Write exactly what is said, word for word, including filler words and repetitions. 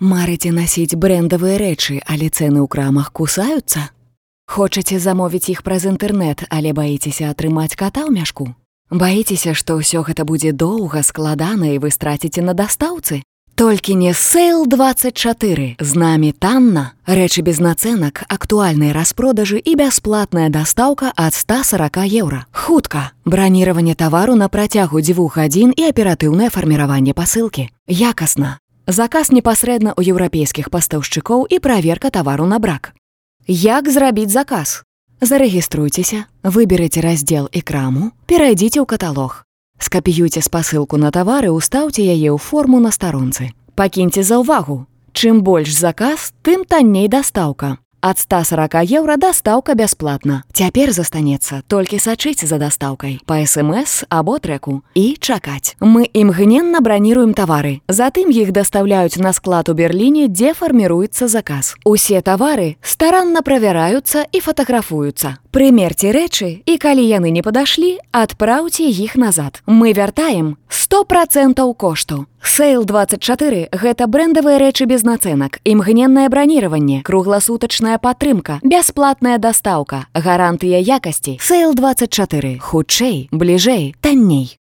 Марыце насіць брэндавыя рэчы, але цэны ў крамах кусаюцца? Хочаце замовіць іх праз інтэрнэт, але баіцеся атрымаць ката ў мяшку? Баіцеся, што ўсё гэта будзе доўга, складана і вы страціце на дастаўцы? Толькі не сейл двадцать чатыры. З намі танна. Рэчы без нацэнак, актуальныя распродажы і бясплатная дастаўка ад ста сорока еўра. Хутка. Браніраванне тавару на працягу дзвюх гадзін і аператыўнае фарміраванне пасылкі. Якасна. Заказ непасрэдна ў еўрапейскіх пастаўшчыкоў і праверка тавару на брак. Як зрабіць заказ? Зарэгіструйцеся, выберыце раздзел экраму, перайдзіце ў каталог. Скапіюйце спасылку на тавары, устаўце яе ў форму на старонцы. Пакіньце заўвагу. Чым больш заказ, тым танней дастаўка. Ад ста сорока еўра дастаўка бясплатна. Цяпер застанецца толькі сачыць за дастаўкай па эс эм эс або трэку і чакаць. Мы імгненна браніруем тавары. Затым іх дастаўляюць на склад у Берліне, дзе фарміруецца заказ. Усе тавары старанна правяраюцца і фатаграфуюцца. Прымерце рэчы, і калі яны не падашлі, адпраўце іх назад. Мы вяртаем сто процентаў кошту. сейл двадцать чатыры – гэта брэндавыя рэчы без нацэнак, імгненнае браніраванне, кругласутачная падтрымка, бясплатная дастаўка, гарантыя якасці. сейл двадцать чатыры. Хутчэй, бліжэй, танней.